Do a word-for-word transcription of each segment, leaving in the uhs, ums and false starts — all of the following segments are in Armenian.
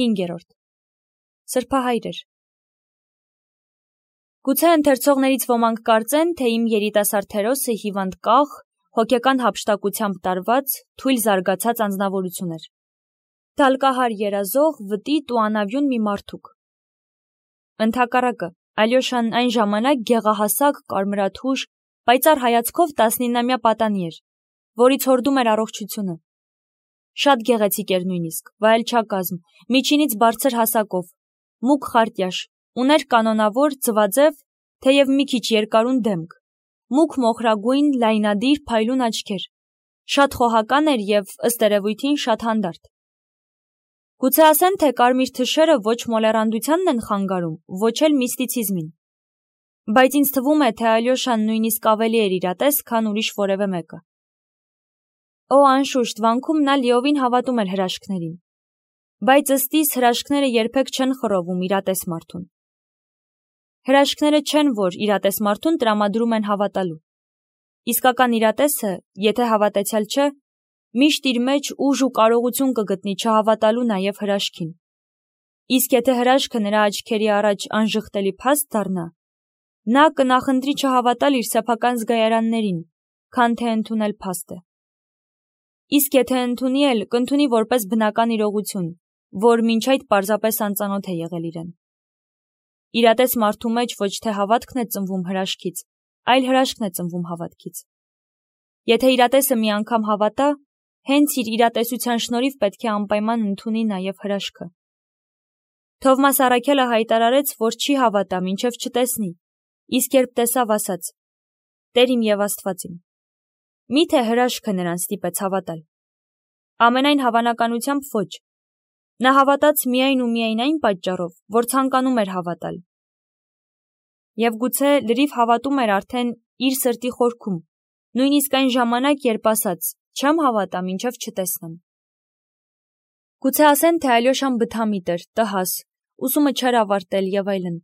հինգերորդ. Սրբահայրեր։ Գուցե ընթերցողներից ոմանք կարծեն, թե իմ երիտասարդ հերոսը հիվանդ կաղ, հոգեկան հափշտակությամբ տարված, թույլ զարգացած անձնավորություն էր։ Դալկահար երազող, վտիտ ու անավյուն մի մարդուկ։ Ընդհակառակը, Ալյոշան այն ժամանակ գեղահասակ, կարմրաթուշ, պայծառ հայացքով տասնինամյա պատանի էր, որից հորդում էր առողջությունը։ Շատ գեղեցիկ էր նույնիսկ, վայելչակազմ, միջինից բարձր հասակով, մուգ խարտյաշ, ուներ կանոնավոր, ձվաձև, թեև մի քիչ երկարուն դեմք, մուգ մոխրագույն, լայնադիր, փայլուն աչքեր, շատ խոհական էր և, ըստ երևույթին, շատ հանդարտ։ Գուցե ասեն, թե կարմիր թշերը ոչ մոլեռանդությանն են խանգարում, ոչ էլ միստիցիզմին։ Բայց ինձ թվում է, թե Ալյոշան նույնիսկ ավելի էր իրատես, քան ուրիշ որևէ մեկը։ Օ, անշուշտ, վանքում նա լիովին հավատում էր հրաշքներին, բայց ըստ իս հրաշքները երբեք չեն խռովում իրատես մարդուն։ Հրաշքները չեն, որ իրատես մարդուն տրամադրում են հավատալու։ Իսկական իրատեսը, եթե հավատացյալ չէ, միշտ իր մեջ ուժ ու կարողություն կգտնի չհավատալու նաև հրաշքին։ Իսկ եթե հրաշքը նրա աչքերի առաջ անժխտելի փաստ դառնա, նա կնախընտրի չհավատալ իր սեփական զգայարաններին, քան թե ընդունել փաստը։ Իսկ եթե ընդունի էլ, կընդունի որպես բնական իրողություն, որ մինչ այդ պարզապես անծանոթ է եղել իրեն։ Իրատես մարդու մեջ ոչ թե հավատքն է ծնվում հրաշքից, այլ հրաշքն է ծնվում հավատքից։ Եթե իրատեսը մի անգամ հավատա, հենց իր իրատեսության շնորհիվ պետք է անպայման ընդունի նաև հրաշքը։ Թովմաս Առաքելը հայտարարեց, որ չի հավատա, մինչև չտեսնի, իսկ երբ տեսավ, ասաց. «Տեր իմ և Աստված իմ»։ Միթե հրաշքը նրան ստիպեց հավատալ։ Ամենայն հավանականությամբ ոչ։ Նա հավատաց միայն ու միայն այն պատճառով, որ ցանկանում էր հավատալ։ Եվ գուցե լրիվ հավատում էր արդեն իր սրտի խորքում, նույնիսկ այն ժամանակ, երբ ասաց. «Չեմ հավատա, մինչև չտեսնեմ»։ Գուցե ասեն, թե Ալյոշան բթամիտ էր, տհաս, ուսումը չէր ավարտել և այլն։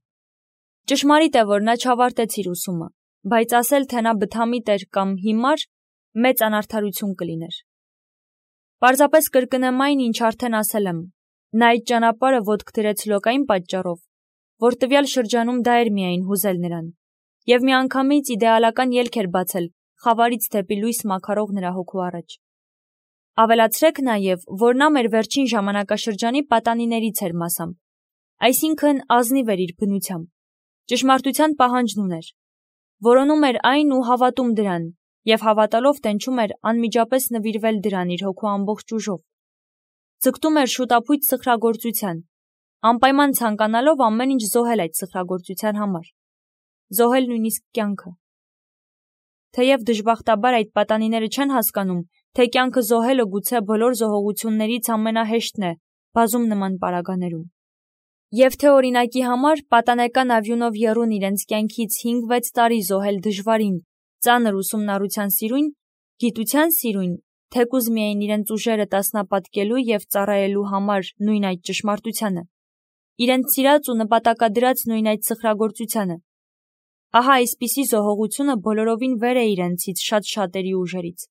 Ճշմարիտ է, որ նա չավարտեց իր ուսումը, բայց ասել, թե նա բթամիտ էր կամ հիմար, մեծ անարդարություն կլիներ։ Պարզապես կրկնեմ այն, ինչ արդեն ասել եմ, նա այդ ճանապարհը ոտք դրեց լոկ այն պատճառով, որ տվյալ շրջանում դա էր միայն հուզել նրան, և միանգամից իդեալական ելք էր բացել խավարից դեպի լույս մաքարող նրա հոգու առաջ։ Ավելացրեք նաև, որ նա մեր վերջին ժամանակաշրջանի պատանիներից էր մասամբ, այսինքն ազնիվ էր իր բնությամբ, ճշմարտության պահանջն ուներ, որոնում էր այն ու հավատում դրան, և հավատալով տենչում էր անմիջապես նվիրվել դրան իր հոգու ամբողջ ուժով։ Ձգտում էր շուտափույթ սխրագործության, անպայման ցանկանալով ամեն ինչ զոհել այդ սխրագործության համար, զոհել նույնիսկ կյանքը։ Թեև դժբախտաբար այդ պատանիները չեն հասկանում, թե կյանքը զոհելը գուցե բոլոր զոհողություններից ամենահեշտն է բազում նման պարագաներում։ Եվ թե օրինակի համար պատանեկան ավյունով եռուն իրենց կյանքից հինգ-վեց տարի զոհել դժվարին, ծանր ուսումնառության սիրուն, գիտության սիրուն, թեկուզ միայն իրենց ուժերը տասնապատկելու և ծառայելու համար նույն այդ ճշմարտությանը, իրենց սիրած ու նպատակադրած նույն այդ սխրագործությանը, ահա այսպիսի զոհողությունը բոլորովին վեր է իրենցից շատ շատերի ուժերից։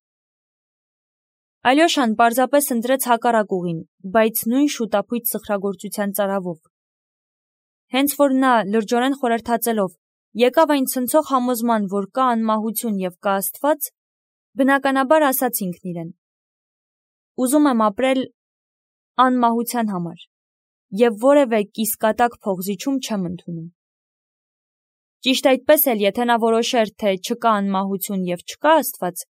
Ալյոշան պարզապես ընտրեց հակառակ ուղին, բայց նույն շուտափույթ սխրագործության ծարավով։ Հենց որ նա, լրջորեն խորհրդածելով, եկավ այն ցնցող համոզման, որ կա անմահություն և կա Աստված, բնականաբար ասաց ինքն իրեն. «Ուզում եմ ապրել անմահության համար և որևէ կիսկատակ փողզիչում չեմ ընդունում»։ Ճիշտ այդպես էլ, եթե նա որոշեր, թե չկա անմահություն և չկա Աստված,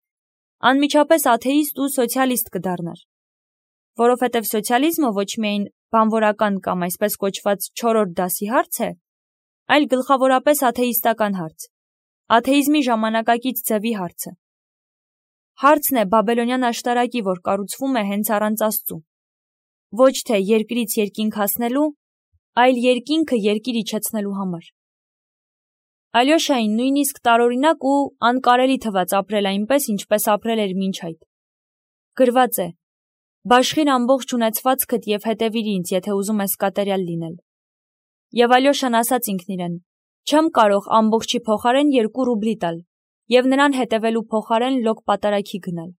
անմիջապես աթեիստ ու սոցիալիստ կդառնար, որովհետև սոցիալիզմը ոչ միայն բանվորական կամ այսպես կոչված չորրորդ դասի հարց է, այլ գլխավորապես աթեիստական հարց, աթեիզմի ժամանակակից ձևի հարցը։ Հարցն է բաբելոնյան աշտարակի, որ կառուցվում է հենց առանց Աստծու, ոչ թե երկրից երկինք հասնելու, այլ երկինքը երկիր իջեցնելու համար։ Ալյոշային նույնիսկ տարօրինակ ու անկարելի թվաց ապրել այնպես, ինչպես ապրել էր մինչ այդ։ Գրված է. «Բաշխիր ամբողջ ունեցվածքդ և հետևիր ինձ, եթե ուզում ես կատարյալ լինել»։ Եվ Ալյոշան ասաց ինքն իրեն. «Չեմ կարող ամբողջի փոխարեն երկու ռուբլի տալ և նրան հետևելու փոխարեն լոկ պատարագի գնալ»։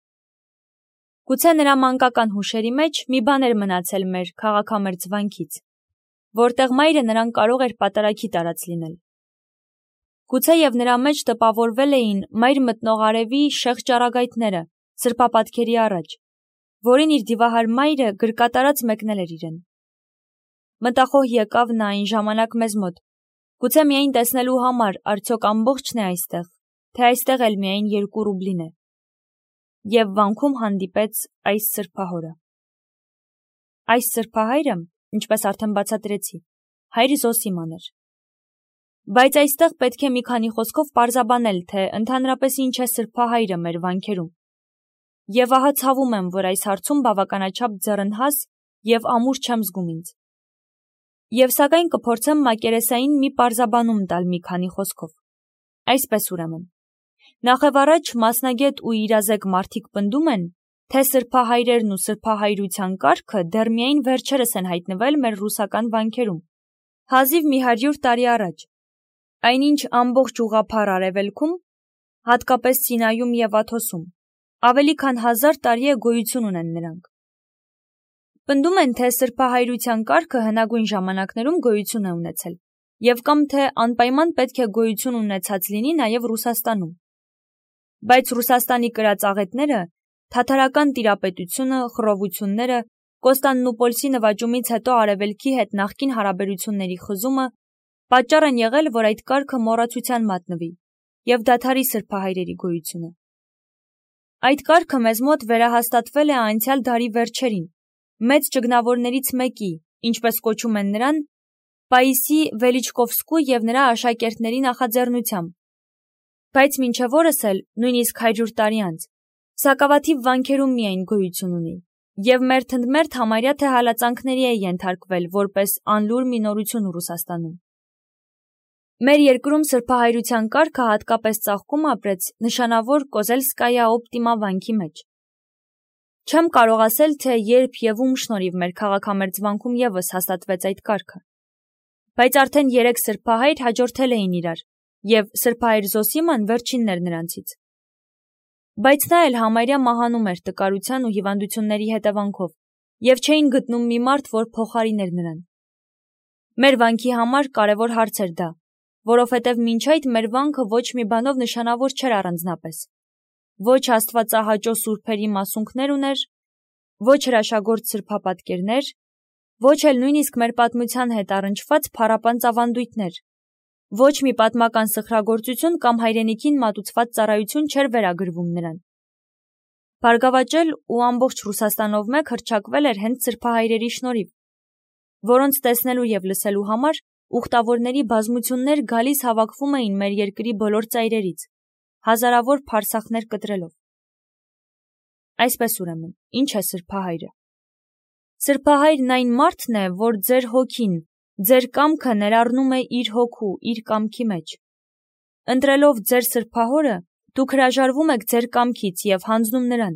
Գուցե նրա մանկական հուշերի մեջ մի բան էր մնացել մեր քաղաքամերձ վանքից, որտեղ մայրը նրան կարող էր պատարագի տարած լինել։ Գուցե և նրա մեջ տպավորվել էին մայր մտնող արևի շեղ ճառագայթները սրբապատկերի առաջ, որին իր դիվահար մայրը գրկատարած մեկնել էր իրեն։ Մտախոհ եկավ նա այն ժամանակ մեզ մոտ, գուցե միայն տեսնելու համար արդյոք ամբողջն է այստեղ, թե այստեղ էլ միայն երկու ռուբլին է։ Եվ վանքում հանդիպեց այս սրբահորը։ Այս սրբահայրը, ինչպես արդեն բացատրեցի, հայր Զոսիման էր։ Բայց այստեղ պետք է մի քանի խոսքով պարզաբանել, թե ընդհանրապես ինչ է սրբահայրը մեր վանքերում։ Եվ ահա ցավում եմ, որ այս հարցում բավականաչափ ձեռնհաս և ամուր չեմ զգում ինձ։ Եվ սակայն կփորձեմ մակերեսային մի պարզաբանում տալ մի քանի խոսքով։ Այսպես ուրեմն, նախևառաջ մասնագետ ու իրազեկ մարդիկ պնդում են, թե սրբահայրերն ու սրբահայրության կարգը դեռ միայն վերջերս են հայտնվել մեր ռուսական վանքերում, հազիվ մի հարյուր տարի առաջ, այնինչ ամբողջ ուղղափառ արևելքում, հատկապես Սինայում և Աթոսում, ավելի քան հազար տարի է գոյություն ունեն նրանք։ Պնդում են, թե սրբահայրության կարգը հնագույն ժամանակներում գոյություն է ունեցել, և կամ թե անպայման պետք է գոյություն ունեցած լինի նաև Ռուսաստանում։ Բայց Ռուսաստանի կրած աղետները, թաթարական տիրապետությունը, խռովությունները, Կոստանդնուպոլսի նվաճումից հետո արևելքի հետ նախկին հարաբերությունների խզումը պատճառ են եղել, որ այդ կարգը մոռացության մատնվի և դադարի սրբահայրերի գոյությունը։ Այդ կարգը մեզ մոտ վերահաստատվել է անցյալ դարի վերջերին, մեծ ճգնավորներից մեկի, ինչպես կոչում են նրան, Պաիսի Վելիչկովսկու և նրա աշակերտների նախաձեռնությամբ, բայց մինչև օրս էլ, նույնիսկ հարյուր տարի անց, սակավաթիվ վանքերում միայն գոյություն ունի, և մերթ ընդ մերթ համարյա թե հալածանքների է ենթարկվել որպես անլուր մի նորություն Ռուսաստանում։ Մեր երկրում սրբահայրության կարգը հատկապես ծաղկում ապրեց նշանավոր Կոզելսկայա օպտիմա վանքի մեջ։ Չեմ կարող ասել, թե երբ և ում շնորհիվ մեր քաղաքամերձ վանքում ևս հաստատվեց այդ կարգը։ Բայց արդեն երեք սրբահայր հաջորդել էին իրար, և սրբահայր Զոսիման վերջինն էր նրանցից։ Բայց նա էլ համարյա մահանում էր տկարության ու հիվանդությունների հետևանքով, և չէին գտնում մի մարդ, որ փոխարիներ նրան։ Մեր վանքի համար կարևոր հարց էր դա, որովհետև մինչ այդ մեր վանքը ոչ մի բանով նշանավոր չէր առանձնապես։ Ոչ աստվածահաճո սուրբերի մասունքներ ուներ, ոչ հրաշագործ սրբապատկերներ, ոչ էլ նույնիսկ մեր պատմության հետ առնչված փառապանծ ավանդույթներ, ոչ մի պատմական սխրագործություն կամ հայրենիքին մատուցված ծառայություն չէր վերագրվում նրան։ Բարգավաճել ու ամբողջ Ռուսաստանով մեկ հռչակվել էր հենց սրբահայրերի շնորհիվ, որոնց տեսնելու և լսելու համար ուխտավորների բազմություններ գալիս հավաքվում էին մեր երկրի բոլոր ծայրերից, հազարավոր փարսախներ կտրելով։ Այսպես ուրեմն, ինչ է սրբահայրը։ Սրբահայրն այն մարդն է, որ ձեր հոգին, ձեր կամքը ներառնում է իր հոգու, իր կամքի մեջ։ Ընտրելով ձեր սրբահորը, դուք հրաժարվում եք ձեր կամքից և հանձնում նրան,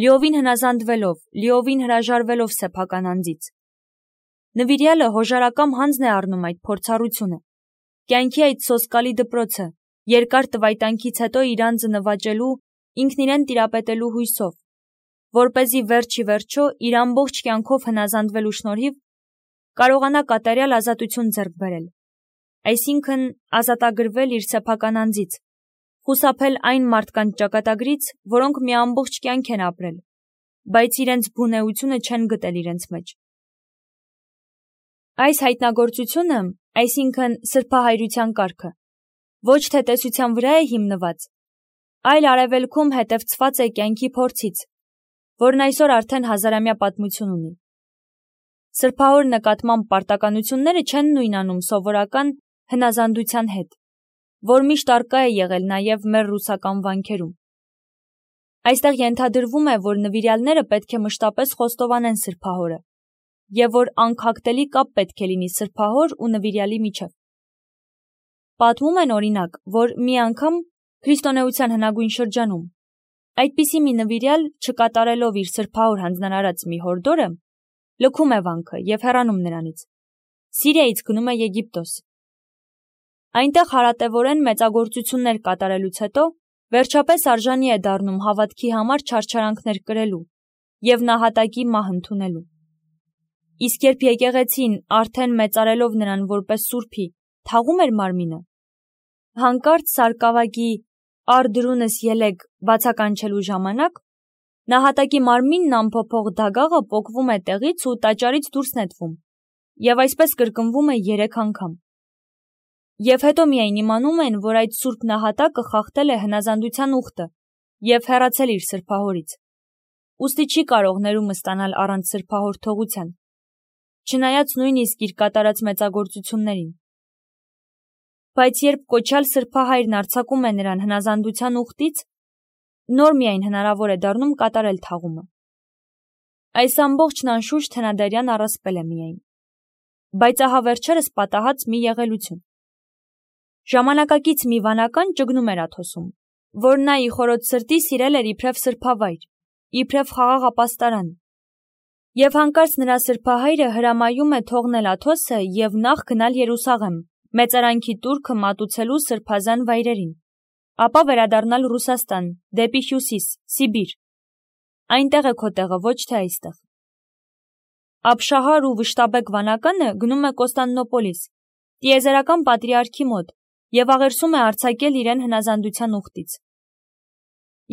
լիովին հնազանդվելով, լիովին հրաժարվելով սեփական անձից։ Նվիրյալը հոժարակամ հանձն է առնում այդ փորձառությունը, կյանքի այդ սոսկալի դպրոցը, երկար տվայտանքից հետո իր անձը նվաճելու, ինքն իրեն տիրապետելու հույսով, որպեսզի վերջ ի վերջո իր ամբողջ կյանքով հնազանդվելու շնորհիվ կարողանա կատարյալ ազատություն ձեռք բերել, այսինքն ազատագրվել իր սեփական անձից, խուսափել այն մարդկանց ճակատագրից, որոնք մի ամբողջ կյանք են ապրել, բայց իրենց բունեությունը չեն գտել իրենց մեջ։ Այս հայտնագործությունը, այսինքն սրբահայրության կարգը, ոչ թե տեսության վրա է հիմնված, այլ արևելքում հետևծված է կյանքի փորձից, որն այսօր արդեն հազարամյա պատմություն ունի։ Սրբահոր նկատմամբ պարտականությունները չեն նույնանում սովորական հնազանդության հետ, որ միշտ առկա է եղել նաև մեր ռուսական վանքերում։ Այստեղ ենթադրվում է, որ նվիրյալները պետք է մշտապես խոստովանեն սրբահորը, և որ անքակտելի կապ պետք է լինի սրբահոր ու նվիրյալի միջև։ Պատմում են, օրինակ, որ մի անգամ քրիստոնեության հնագույն շրջանում այդպիսի մի նվիրյալ, չկատարելով իր սրբահոր հանձնարարած մի հորդորը, լքում է վանքը և հեռանում նրանից, Սիրիայից գնում է Եգիպտոս։ Այնտեղ հարատևորեն մեծագործություններ կատարելուց հետո վերջապես արժանի է դառնում հավատքի համար չարչարանքներ կրելու և նահատակի մահ ընդունելու։ Իսկ երբ եկեղեցին, արդեն մեծարելով նրան որպես սուրբի, թաղում էր մարմինը, հանկարծ սարկավագի «Ար դրունս ելեք» բացականչելու ժամանակ, նահատակի մարմինն ամփոփող դագաղը պոկվում է տեղից ու տաճարից դուրս նետվում, և այսպես կրկնվում է երեք անգամ։ Եվ հետո միայն իմանում են, որ այդ սուրբ նահատակը խախտել է հնազանդության ուխտը և հեռացել իր սրբահորից, ուստի չի կարող ներումը ստանալ առանց սրբահոր թողության, չնայած նույնիսկ իր կատարած մեծագործություններին։ Բայց երբ կոչյալ սրբահայրն արձակում է նրան հնազանդության ուխտից, նոր միայն հնարավոր է դառնում կատարել թաղումը։ Այս ամբողջն անշուշտ հնադարյան առասպել է միայն, բայց ահա վերջերս պատահած մի եղելություն։ Ժամանակակից մի վանական ճգնում էր Աթոսում, որ նա ի խորոց սրտի սիրել էր իբրև սրբավայր, իբրև խաղաղ ապաստարան, և հանկարծ նրա սրբահայրը հրամայում է թողնել Աթոսը և նախ գնալ Երուսաղեմ, մեծարանքի տուրքը մատուցելու սրբազան վայրերին, ապա վերադառնալ Ռուսաստան, դեպի հյուսիս, Սիբիր։ Այնտեղ է քո տեղը, ոչ թե այստեղ։ Աբշահար ու վշտաբեկ վանականը գնում է Կոստանդնոպոլիս, տիեզերական պատրիարքի մոտ, և աղերսում է արձակել իրեն հնազանդության ուխտից։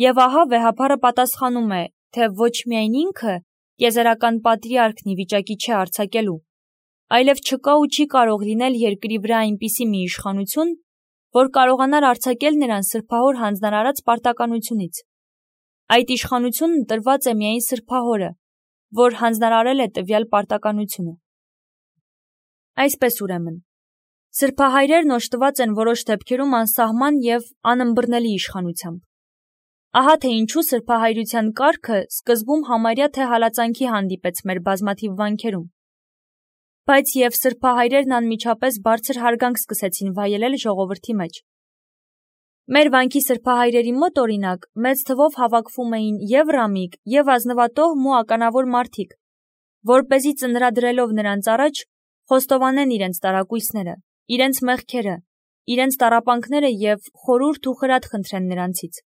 Եվ ահա վեհափառը պատասխանում է, թե ոչ միայն ինքը, տիեզերական պատրիարքն ի վիճակի չէ արձակելու, այլև չկա ու չի կարող լինել երկրի վրա այնպիսի մի իշխանություն, որ կարողանար արձակել նրան սրբահոր հանձնարարած պարտականությունից։ Այդ իշխանությունն տրված է միայն սրբահորը, որ հանձնարարել է տվյալ պարտականությունը։ Այսպես ուրեմն, սրբահայրերն օժտված են որոշ դեպքերում անսահման և անըմբռնելի իշխանությամբ։ Ահա թե ինչու սրբահայրության կարգը սկզբում համարյա թե հալածանքի հանդիպեց մեր բազմաթիվ վանքերում, բայց և սրբահայրերն անմիջապես բարձր հարգանք սկսեցին վայելել ժողովրդի մեջ։ Մեր վանքի սրբահայրերի մոտ, օրինակ, մեծ թվով հավաքվում էին և ռամիկ, և ազնվատոհմ ու ականավոր մարդիկ, որպեսզի ծնրադրելով նրանց առաջ խոստովանեն իրենց տարակույսները, իրենց մեղքերը, իրենց տառապանքները և խորհուրդ ու խրատ խնդրեն նրանցից։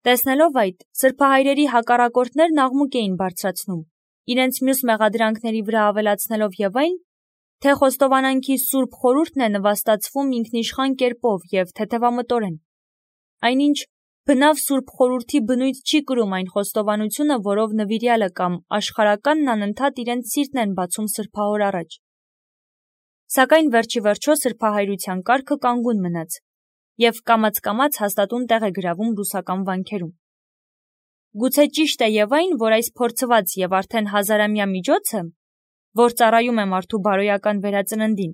Տեսնելով այդ, սրբահայրերի հակառակորդներն աղմուկ էին բարձրացնում, իրենց մյուս մեղադրանքների վրա ավելացնելով և այն, թե խոստովանանքի սուրբ խորհուրդն է նվաստացվում ինքնիշխան կերպով և թեթևամտորեն, այնինչ բնավ սուրբ խորհրդի բնույթ չի կրում այն խոստովանությունը, որով նվիրյալը կամ աշխարհականն անընդհատ իրենց սիրտն են բացում սրբահոր առաջ։ Սակայն վերջիվերջո սրբահայրության կարգը կանգուն մնաց և կամաց-կամաց հաստատուն տեղ է գրավում ռուսական վանքերում։ Գուցե ճիշտ է և այն, որ այս փորձված և արդեն հազարամյա միջոցը, որ ծառայում է մարդու բարոյական վերածննդին,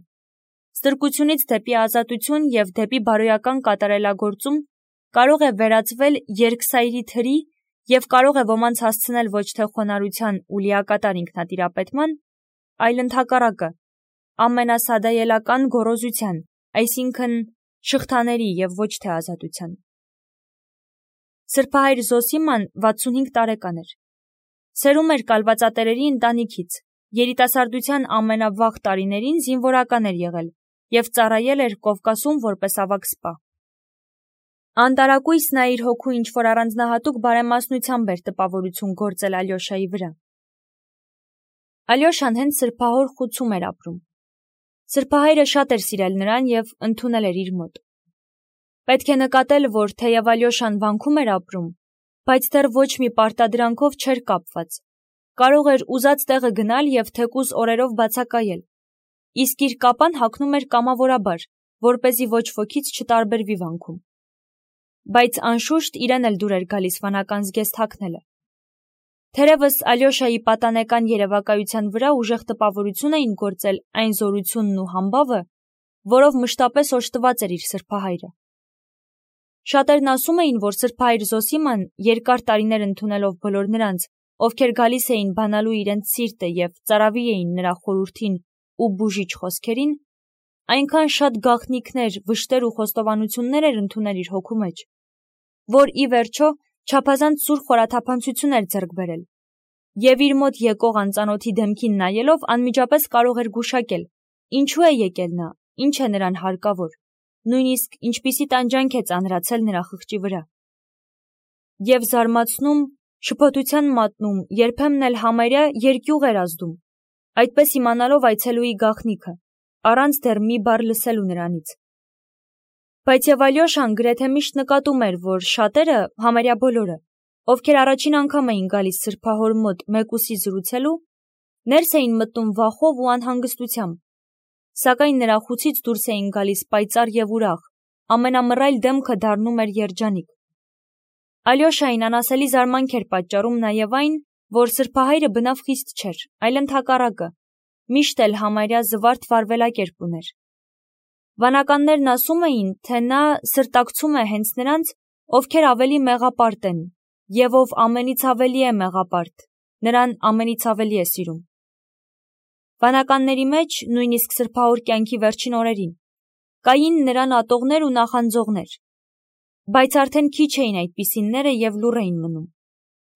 ստրկությունից դեպի ազատություն և դեպի բարոյական կատարելագործում կարող է վերածվել երկսայրի թրի և կարող է ոմանց հասցնել ոչ թե խոնարհության ու լիակատար ինքնատիրապետման, այլ ընդհակառակը, ամենասադայելական գոռոզության, այսինքն շղթաների և ոչ թե ազատության։ Սրբահայր Զոսիման վաթսունհինգ տարեկան էր։ Սերում էր կալվածատերերի ընտանիքից, երիտասարդության ամենավաղ տարիներին զինվորական էր եղել և ծառայել էր Կովկասում որպես ավագ սպա։ Անտարակույս նա իր հոգու ինչ-որ առանձնահատուկ բարեմասնությամբ էր տպավորություն գործել Ալյոշայի վրա։ Ալյոշան հենց սրբահոր խուցում էր ապրում։ Սրբահայրը շատ էր սիրել նրան և ընդունել էր իր մոտ։ Պետք է նկատել, որ թեև Ալյոշան վանքում էր ապրում, բայց դեռ ոչ մի պարտադրանքով չէր կապված, կարող էր ուզած տեղը գնալ և թեկուզ օրերով բացակայել, իսկ իր կապան հագնում էր կամավորաբար, որպեսզի ոչ ոքից չտարբերվի վանքում։ Բայց անշուշտ իրեն էլ դուր էր գալիս վանական զգեստ հագնելը։ Թերևս Ալյոշայի պատանեկան երևակայության վրա ուժեղ տպավորություն էին գործել այն զորությունն ու համբավը, որով մշտապես օժտված էր իր սրբահայրը։ Շատերն ասում էին, որ սրբահայր Զոսիման, երկար տարիներ ընդունելով բոլոր նրանց, ովքեր գալիս էին բանալու իրենց սիրտը և ծարավի էին նրա խորհրդին ու բուժիչ խոսքերին, այնքան շատ գաղտնիքներ, վշտեր ու խոստովանություններ էր ընդունել իր հոգու մեջ, որ ի վերջո չափազանց սուր խորաթափանցություն էր ձեռք բերել, և իր մոտ եկող անծանոթի դեմքին նայելով անմիջապես կարող էր գուշակել, ինչու է եկել նա, ինչ է նրան հարկավոր, նույնիսկ ինչպիսի տանջանք է ծանրացել նրա խղճի վրա։ Եվ զարմացնում, շփոթության մատնում, երբեմն էլ համարյա երկյուղ էր ազդում, այդպես իմանալով այցելուի գաղտնիքը, առանց դեռ մի բառ լսելու նրանից։ Բայց եւ Ալյոշան գրեթե միշտ նկատում էր, որ շատերը, համարյա բոլորը, ովքեր առաջին անգամ էին գալիս սրբահոր մոտ մեկուսի զրուցելու, ներս էին մտնում վախով ու անհանգստությամբ, սակայն նրա խուցից դուրս էին գալիս պայծառ եւ ուրախ, ամենամռայլ դեմքը դառնում էր երջանիկ։ Ալյոշային անասելի զարմանք էր պատճառում նաեւ այն, որ սրբահայրը բնավ խիստ չէր, այլ ընդհակառակը, միշտ էլ համարյա զվարթ վարվելակերպ ուներ։ Վանականներն ասում էին, թե նա սրտակցում է հենց նրանց, ովքեր ավելի մեղապարտ են, եւ ով ամենից ավելի է մեղապարտ, նրան ամենից ավելի է սիրում։ Վանականների մեջ, նույնիսկ սրբահոր կյանքի վերջին օրերին, կային նրան ատողներ ու նախանձողներ, բայց արդեն քիչ էին այդպիսինները եւ լուռ էին մնում,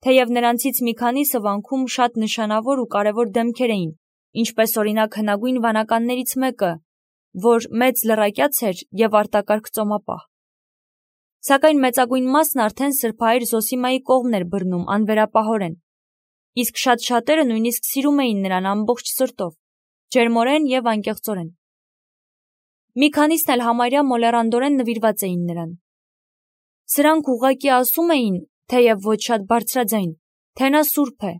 թեև նրանցից մի քանիսը վանքում շատ նշանավոր ու կարևոր դեմքեր էին, ինչպես օրինակ հնագույն վանականներից մեկը, որ մեծ լռակյաց էր եւ արտակարգ ծոմապահ։ Սակայն մեծագույն մասն արդեն սրբահայր Զոսիմայի կողմն էր բռնում անվերապահորեն, իսկ շատ շատերը նույնիսկ սիրում էին նրան ամբողջ սրտով, ջերմորեն եւ անկեղծորեն։ Մի քանիսն էլ համարյա մոլեռանդորեն նվիրված էին նրան։ Սրանք ուղղակի ասում էին, թեև ոչ շատ բարձրաձայն, թե նա սուրբ է,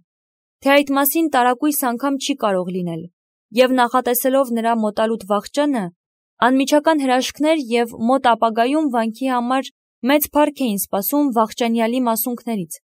թե այդ մասին տարակույս անգամ չի կարող լինել, եւ նախատեսելով նրա մոտալուտ վախճանը, անմիջական հրաշքներ եւ մոտ ապագայում վանքի համար մեծ փառք էին սպասում վախճանյալի մասունքներից։